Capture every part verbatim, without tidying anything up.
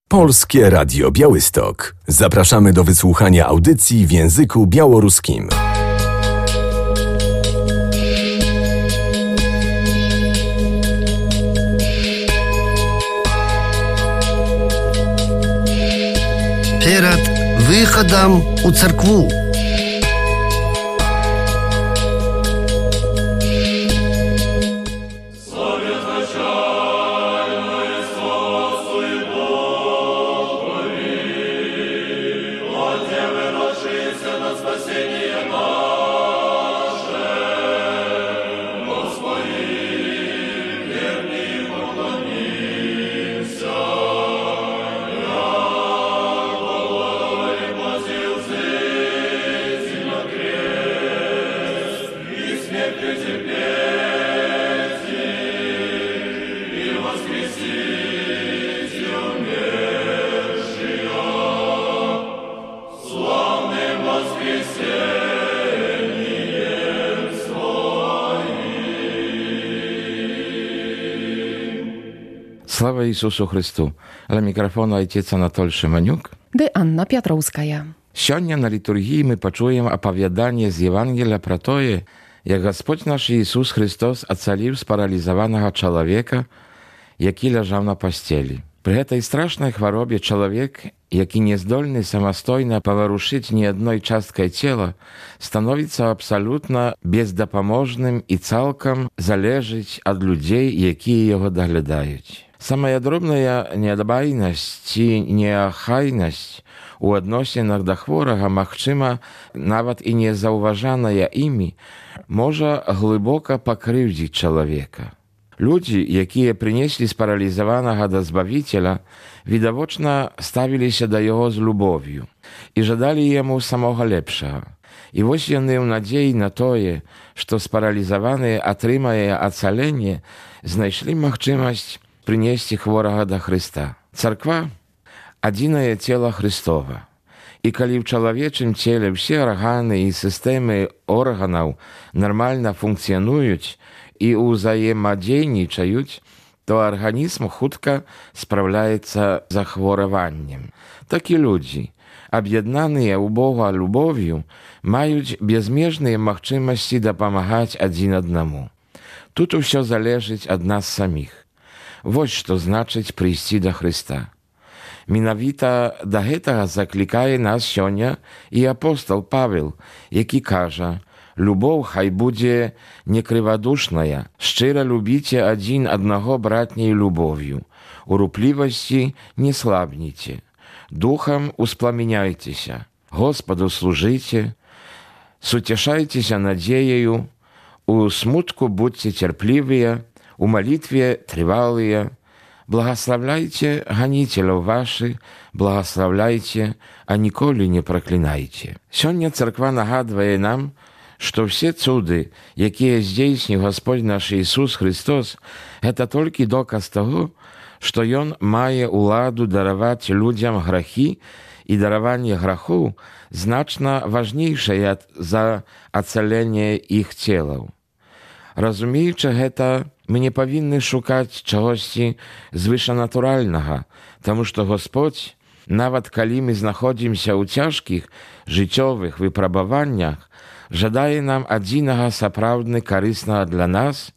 Polskie Radio Białystok. Zapraszamy do wysłuchania audycji w języku białoruskim. Перед выходом у церкву. Слава Ісусу Христу! Ля мікрафону отець Анатоль Шиманюк. Ды Анна Пятроўская. Сёння на літургіі мы пачуем апавяданне з Євангелія пра тое, як Гасподзь наш Ісус Христос ацаліў спаралізаванага чалавека, які ляжаў на пасцелі. Пры гэтай страшнай хваробе чалавек, які не здольны самастойна паварушыць ні адной часткай цела, становіцца абсалютна бездапаможным і цалкам залежыць ад людзей, якія яго даглядаюць. Самая дробная нядбайнасць ці неахайнасць у адносінах да хворага, магчыма, нават і незаўважаная імі, можа глыбока пакрыўдзіць чалавека. Людзі, якія прынеслі спаралізаванага да Збавіцеля, відавочна ставіліся да яго з любов'ю і жадалі яму самога лепшага. І вось яны ў надзеі на тое, што спаралізаваны атрымае ацаленне, знайшлі магчымасць прынесці хворага да Хрыста. Царква – адзінае цела Хрыстова. І калі ў чалавечым целе ўсе арганы і сістэмы органаў нармальна функцыянуюць і ўзаемадзейнічаюць, то арганізм хутка спраўляецца з захвораваннем. Так і людзі, аб'яднаныя ў Бога любов'ю, маюць безмежныя магчымасці дапамагаць адзін аднаму. Тут усё залежыць ад нас саміх. Вось што значыць прыйсці да Хрыста. Менавіта да гэтага заклікае нас сёння і апостол Павел, які кажа: «Любоў хай будзе некрывадушная, шчыра любіце адзін аднаго братняй любов'ю, у руплівасці не слабніце, духам успламеняйцеся, Господу служыце, суцешайцеся надзеяю, у смутку будьце цярплівыя, у малітве трывалыя, благаславляйце ганіцеляў вашы, благаславляйце, а ніколі не праклінайце». Сёння царква нагадвае нам, што ўсе цуды, якія здзейсніў Гасподзь наш Ісус Христос, гэта толькі доказ таго, што Ён мае ўладу дараваць людзям грахі, і дараванне грахоў значна важнейшае за ацаленне іх целаў. Разумеючы гэта, мы не павінны шукаць чагосьці звышанатуральнага, таму што Гасподзь, нават калі мы знаходзімся ў цяжкіх жыццёвых выпрабаваннях, жадае нам адзінага сапраўдны карыснага для нас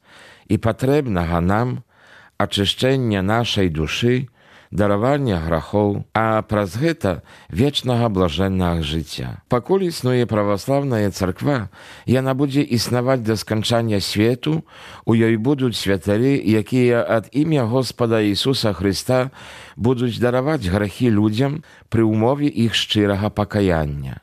і патрэбнага нам ачышчэння нашай душы, даравання грахоў, а праз гэта вечнага блажэннага жыцця. Пакуль існуе праваслаўная царква, яна будзе існаваць да сканчання свету, у ёй будуць святары, якія ад імя Господа Ісуса Хрыста будуць дараваць грахі людзям пры ўмове іх шчырага пакаяння.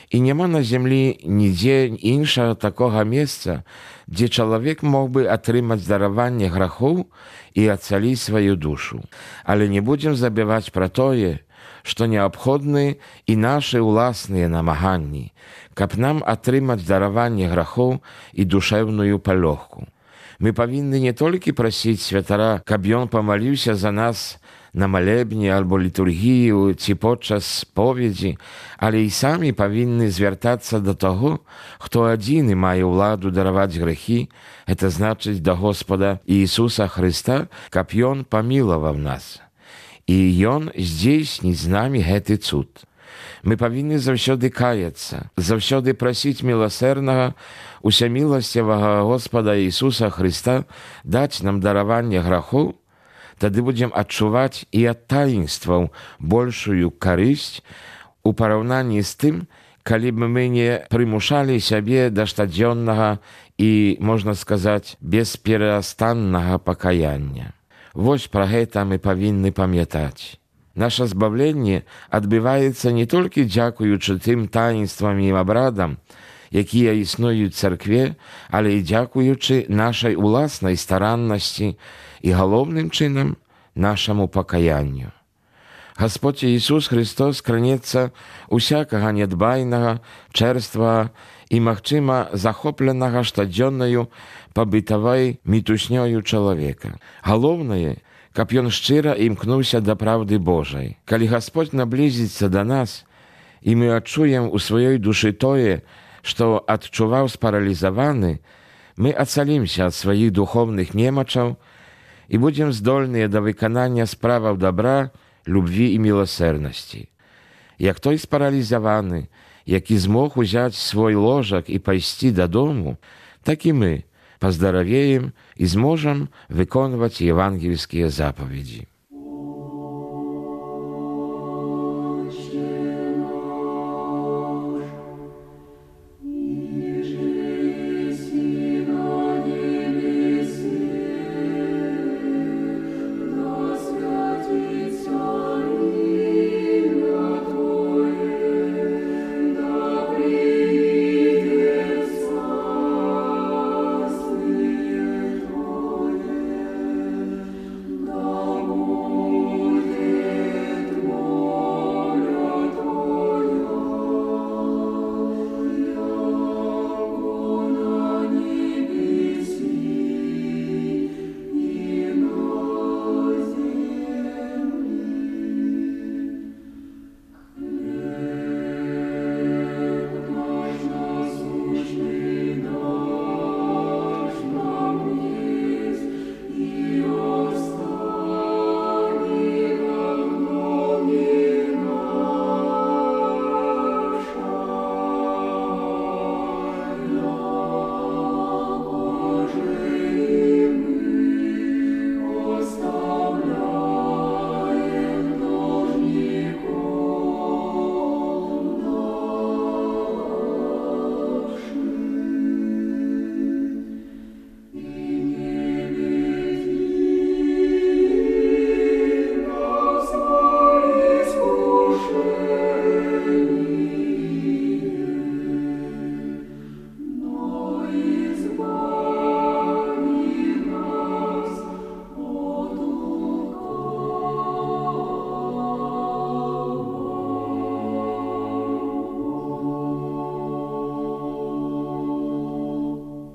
І няма на зямлі нідзе іншага такога месца, дзе чалавек мог бы атрымаць дараванне грахоў і ацаліць сваю душу. Але не будзем забываць пра тое, што неабходны і нашы ўласныя намаганні, каб нам атрымаць дараванне грахоў і душэўную палёгку. Мы павінны не толькі прасіць святара, каб ён памаліўся за нас на малебні альбо літургію ці подчас споведзі, але і самі павінны звяртацца да таго, хто адзіны мае ўладу дараваць грэхі, гэта значыць да Господа Ісуса Хрыста, каб ён памілаваў нас. і Ён здзейсніць з намі гэты цуд. Мы павінны заўсёды каяцца, заўсёды прасіць міласэрнага, усяміласцівага Господа Ісуса Хрыста даць нам дараванне грахоў, тады будзем адчуваць і ад таінстваў большую карысць у параўнанні з тым, калі б мы не прымушалі сябе да штодзённага і, можна сказаць, бесперастаннага пакаяння. Вось пра гэта мы павінны памятаць. Наша збавленне адбываецца не толькі дзякуючы тым таінствам і абрадам, якія існуюць у царкве, але і дзякуючы нашай уласнай стараннасці і галоўным чынам нашаму пакаянню. Гасподзь Ісус Христос кранецца усякага нядбайнага, чэрствага і, магчыма, захопленага штодзённаю пабытавай мітуснёю чалавека. Галоўнае, каб ён шчыра імкнуўся да праўды Божай. Калі Гасподзь наблізіцца да нас, і мы адчуем у сваёй душы тое, што адчуваў спаралізаваны, мы ацалімся ад сваіх духоўных немачаў і будзем здольныя да выканання справаў дабра, любві і міласэрнасці. Як той спаралізаваны, які змог узяць свой ложак і пайсці дадому, так і мы паздаравеем і зможам выконваць евангельскія запаведзі.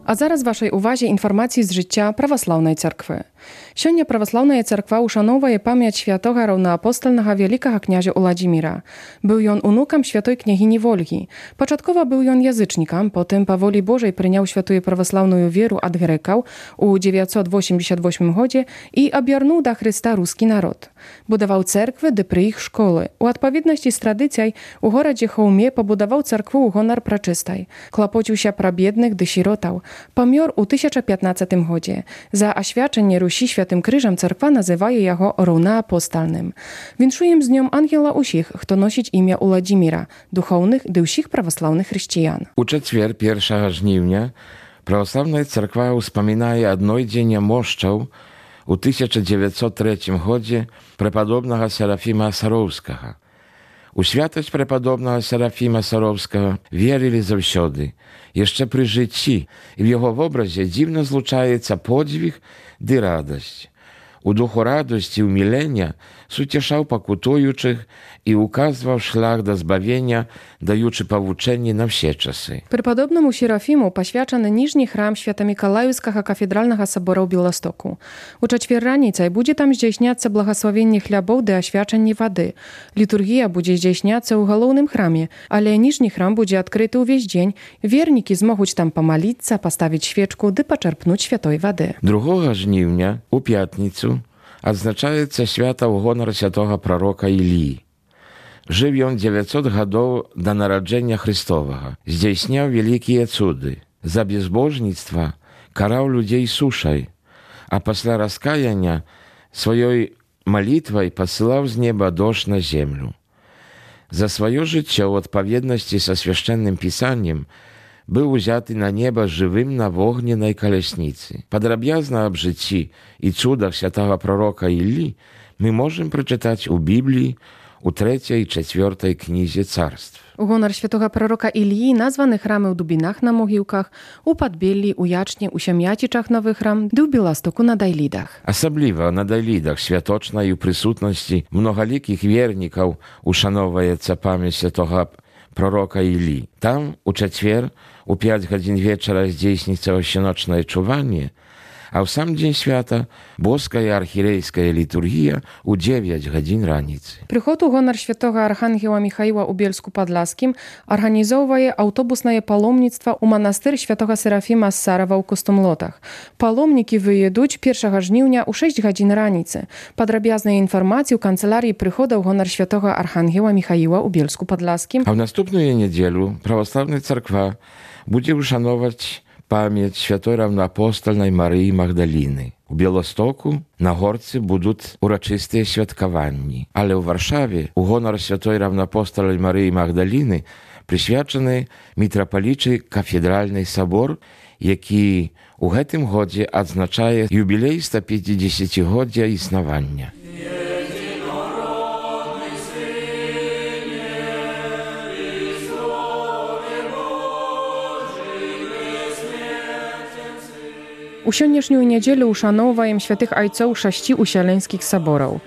А зараз вашай увазе інфармацыі з жыцця праваслаўнай царквы. Сёння праваслаўная царква ушаноўвае памяць святога раўнаапостальнага вялікага князя Уладзіміра. Быў ён унукам святой княгіні Вольгі. Пачаткова быў ён язычнікам, потым па волі Божай прыняў святую праваслаўную веру ад грэкаў у дзевяцьсот восемьдесят восьмым годзе і аб'ярнуў да Хрыста рускі народ. Будаваў цэрквы ды пры іх школы. У адпаведнасці з традыцыяй у горадзе Хаўме пабудаваў царкву ў гонар прачыстай. Клапоціўся пра бедных ды сіротаў. Памёр у тысяча пятнаццатым годзе. За асвячэнне Русі святым крыжам царква называе яго роўнаапостальным. Віншуем з днём ангела ўсіх, хто носіць імя Уладзіміра, духоўных ды ўсіх праваслаўных хрысціян. У чацвер першага жніўня праваслаўная царква ўспамінае аднойдзення мошчаў у тысяча дзевяцьсот трэцім годзе прэпадобнага Серафіма Сароўскага. У святасць прэпадобнага Серафіма Сароўскага верылі заўсёды, яшчэ пры жыцці, і в яго вобразе дзіўна злучаецца подзвіг ды радасць. У духу радасці і ўмілення суцешаў пакутуючых і указваў шлях да збавення, даючы павучэнні на ўсе часы. Препадобнаму Серафіму пасвячаны ніжні храм Свята-Мікалаіўскага кафедральнага сабора ў Беластоку. У чацвер раніцай будзе там здзяйсняцца благаславенне хлябоў ды асвячанне вады. Літургія будзе здзяйсняцца ў галоўным храме, але ніжні храм будзе адкрыты ўвесь дзень. Вернікі змогуць там памаліцца, паставіць свечку ды пачарпнуць святой вады. другога жніўня, у пятніцу, адзначаецца свята ў гонар святога прарока Іллі. Жыў ён дзевяцьсот гадоў да нараджэння Христовага, здзяйсняў вялікія цуды. За безбожніцтва караў людзей сушай, а пасля раскаяння сваёй малітвай пасылаў з неба дождж на землю. За сваё жыццё ў адпаведнасці са свяшчэнным пісаннем быў узяты на неба жывым на вогненнай калясніцы. Падрабязна аб жыцці і цудах святага прарока Іллі мы можам прачытаць у Бібліі у трэцяй і чацвёртай кнізе царств. У гонар святога прарока Іллі названы храмы ў Дубінах на Могілках, у Падбеллі, у Ячні, у Сям'яцічах новы храм, ды ў Беластоку на Дайлідах. Асабліва на Дайлідах святочнай у прысутнасці многалікіх вернікаў ушаноўваецца памяць святога прарока Іллі. Там у чацвер у пяць гадзін вечара здзейсніцца ўсеночнае чуванне, а ў сам дзень свята боская архірейская літургія ў дзевяць гадзін раніцы. Прыход у гонар святога архангела Міхаіла ў Бельску-Падласскім арганізоўвае аўтобуснае паломніцтва ў манастыр святога Серафіма з Сарава ў Костумлотах. Паломнікі выедуць першага жніўня ў шэсць гадзін раніцы. Падрабязныя інфармацыі ў канцылярыі прыхода ў гонар святога архангела Міхаіла ў Бельску-Падласскім. А ў наступную нядзелю праваслаўная царква будзе ушановаць памяць святой раўнаапостальнай Марыі Магдаліны. У Беластоку на горцы будуць урачыстыя святкаванні, але ў Варшаве у гонар святой раўнаапостальнай Марыі Магдаліны прысвячаны мітрапалічы кафедральны сабор, які ў гэтым годзе адзначае юбілей ста пяцідзесяцігоддзя існавання. У сённяшнюю нядзелю ушаноўваем святых айцоў шасці усяленскіх сабораў.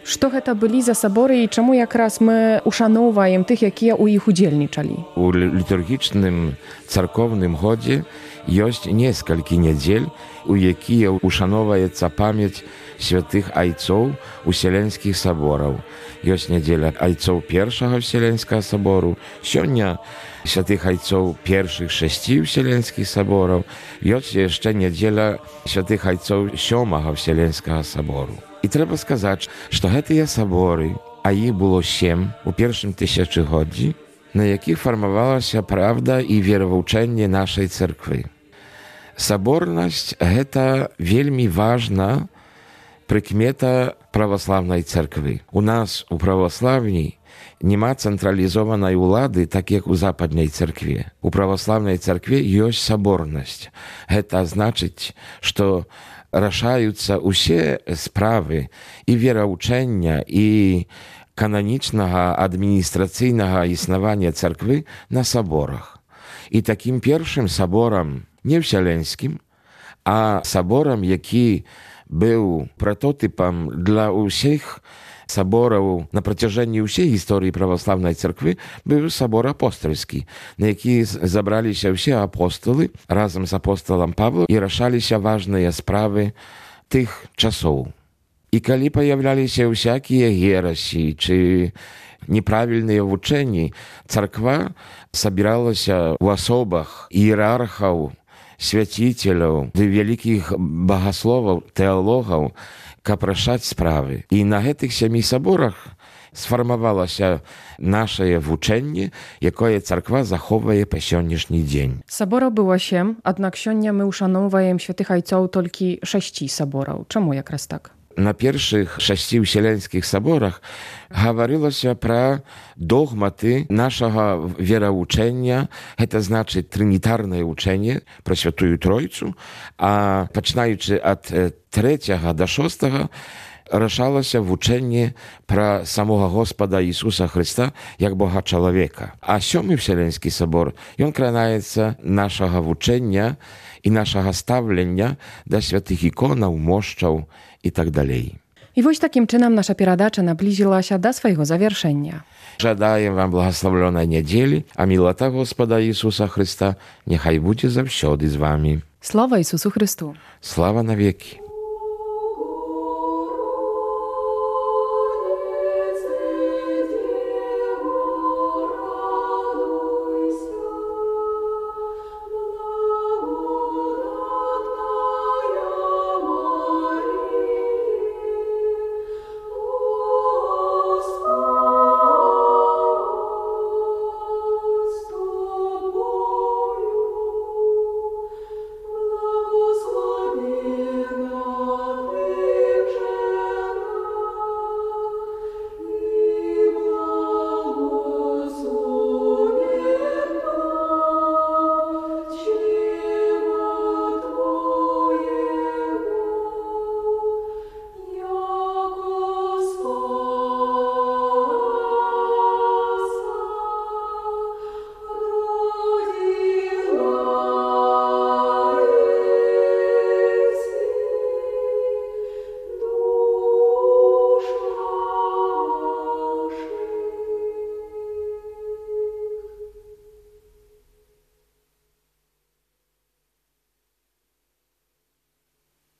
Што гэта былі за саборы і чаму якраз мы ушаноўваем тых, якія ў іх удзельнічалі? У літургічным царкоўным годзе ёсць некалькі нядзель, у якія ушаноўваецца памяць святых айцоў уселенскіх сабораў. Ёсць нядзеля айцоў першага вселенскага сабору, сёння святых айцоў першых шасці вселенскіх сабораў, ёсць яшчэ нядзеля святых айцоў сёмага вселенскага сабору. І трэба сказаць, што гэтыя саборы, а іх было сем у першым тысячагоддзі, на якіх фармавалася правда і веравучэнне нашай царквы. Саборнасць – гэта вельмі важна прыкмета праваслаўнай царквы. У нас у праваслаўні няма цэнтралізованай улады, так як у западнай царкве. У праваслаўнай царкве ёсць саборнасць. Гэта значыць, што рашаюцца ўсе справы і вераўчэння, і кананічнага адміністрацыйнага існавання царквы на саборах. І такім першым саборам, не вселенскім, а саборам, які быў пратотыпам для ўсіх сабораў на працяжэнні ўсей гісторыі праваслаўнай царквы, быў сабор апостальскі, на які забраліся ўсе апостолы разам з апостолам Павлом і рашаліся важныя справы тых часоў. І калі паявляліся ўсякія герасі ці неправільныя вучэнні, царква сабіралася ў асобах іерархаў, свяціцеляў, ды вялікіх багасловаў, тэалогаў, каб рашаць справы. І на гэтых сямі саборах сфармавалася нашае вучэнне, якое царква захоўвае па сённяшні дзень. Сабораў было сем, аднак сёння мы ушаноўваем святых айцоў толькі шасці сабораў. Чаму якраз так? На першых шасці ўселенскіх саборах гаварылася пра догматы нашага веравучэння, гэта значыць трынітарнае вучэнне пра святую Тройцу, а пачынаючы ад трэцяга да шостага рашалася вучэнне пра самога Господа Ісуса Хрыста як Бога чалавека. А сёмы вселенскі сабор, ён кранаецца нашага вучэння і нашага стаўлення да святых іконаў, мошчаў і так далей. І вось такім чынам наша перадача наблізілася да свайго завяршэння. Жадаем вам благаславлёнай нядзелі, а мілата Господа Ісуса Хрыста няхай будзе заўсёды з вамі. Слава Ісусу Хрысту! Слава навекі!